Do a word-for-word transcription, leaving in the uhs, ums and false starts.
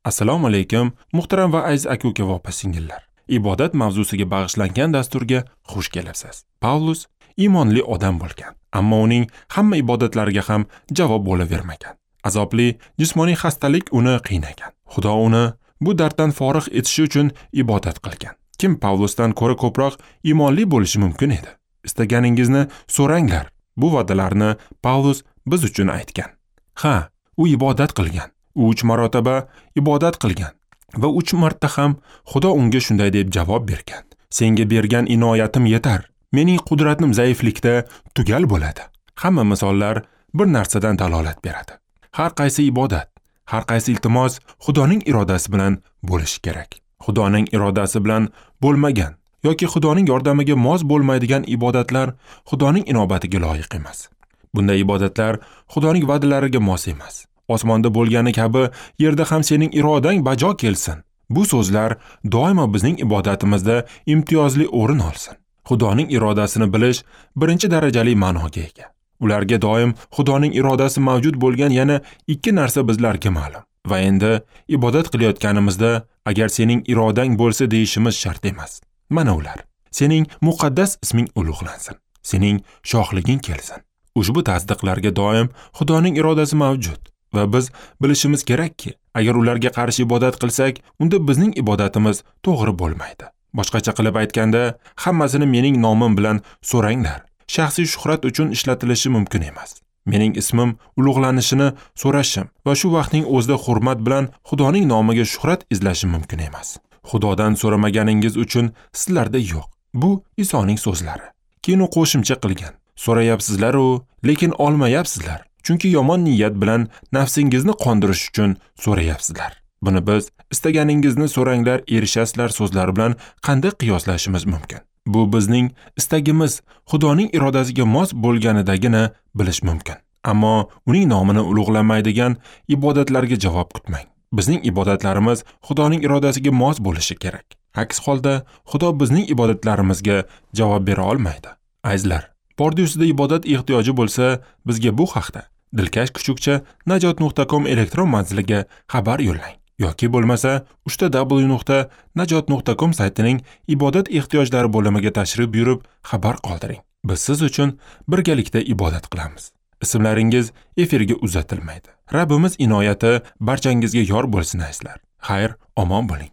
Assalomu alaykum, muhtaram va aziz aka-uka va opa-singillar. Ibodat mavzusiga bag'ishlangan dasturga xush kelibsiz. Pavlus iymonli odam bo'lgan, ammo uning hamma ibodatlariga ham javob bo'lavermagan. Azobli jismoniy xastalik uni qiynagan. Xudo uni bu darddan forig' etishi uchun ibodat qilgan. Kim Pavlusdan ko'ra ko'proq iymonli bo'lishi mumkin edi? Istaganingizni so'ranglar. Bu va'dalarni Pavlus biz uchun aytgan. Ha, u ibodat qilgan. U uch marotaba ibodat qilgan va uch marta ham Xudo unga shunday deb javob bergan: Senga bergan inoyatim yetar. Mening qudratim zaiflikda tugal bo'ladi. Hamma misollar bir narsadan dalolat beradi. Har qaysi ibodat, har qaysi iltimos Xudoning irodasi bilan bo'lishi kerak. Xudoning irodasi bilan bo'lmagan yoki Xudoning yordamiga mos bo'lmaydigan ibodatlar Xudoning inobatiga loyiq emas. Bunday ibodatlar Xudoning va'dalariga mos emas. Osmonda bo'lgani kabi yerda ham sening irodang bajo kelsin. Bu so'zlar doimo bizning ibodatimizda imtiyozli o'rin olsin. Xudoning irodasini bilish birinchi darajali ma'noga ega. Ularga doim Xudoning irodasi mavjud bo'lgan yana ikki narsa bizlarga ma'lum. Va endi ibodat qilayotganimizda agar sening irodang bo'lsa deyishimiz shart emas. Mana ular: sening muqaddas isming ulug'lansin, sening shohliging kelsin. Ushbu tasdiqlarga doim Xudoning irodasi mavjud va biz bilishimiz kerakki, agar ularga qarshi ibodat qilsak, unda bizning ibodatimiz to'g'ri bo'lmaydi. Boshqacha qilib aytganda, hammasini mening nomim bilan so'ranglar. Shaxsiy shuhrat uchun ishlatilishi mumkin emas. Mening ismim ulug'lanishini so'rashim va shu vaqtning o'zida hurmat bilan Xudoning nomiga shuhrat izlashim mumkin emas. Xudodan so'ramaganingiz uchun sizlarda yo'q. Bu Isoning so'zlari. Keyin u qo'shimcha qilgan: so'rayapsizlar-u, lekin olmayapsizlar. Chunki yomon niyat bilan nafsingizni qondirish uchun so'rayapsizlar. Buni biz istaganingizni so'ranglar, erishasizlar so'zlari bilan qanday qiyoslashimiz mumkin? Bu bizning istagimiz Xudoning irodasiga mos bo'lganidagina bilish mumkin. Ammo uning nomini ulug'lamaydigan ibodatlarga javob kutmang. Bizning ibodatlarimiz Xudoning irodasiga mos bo'lishi kerak. Aks holda Xudo bizning ibodatlarimizga javob bera olmaydi. Azizlar, bordi ustida ibodat ehtiyoji bo'lsa, bizga bu haqda dilkash kuchukcha najot nuqta com elektron manziliga xabar yo'llang yoki bo'lmasa uchta w nuqta najot nuqta com saytining ibodat ehtiyojlari bo'limiga tashrif buyurib xabar qoldiring. Biz siz uchun birgalikda ibodat qilamiz. Ismlaringiz efirga uzatilmaydi. Rabbimiz inoyati barchangizga yor bo'lsin azizlar. Xayr, omon bo'ling.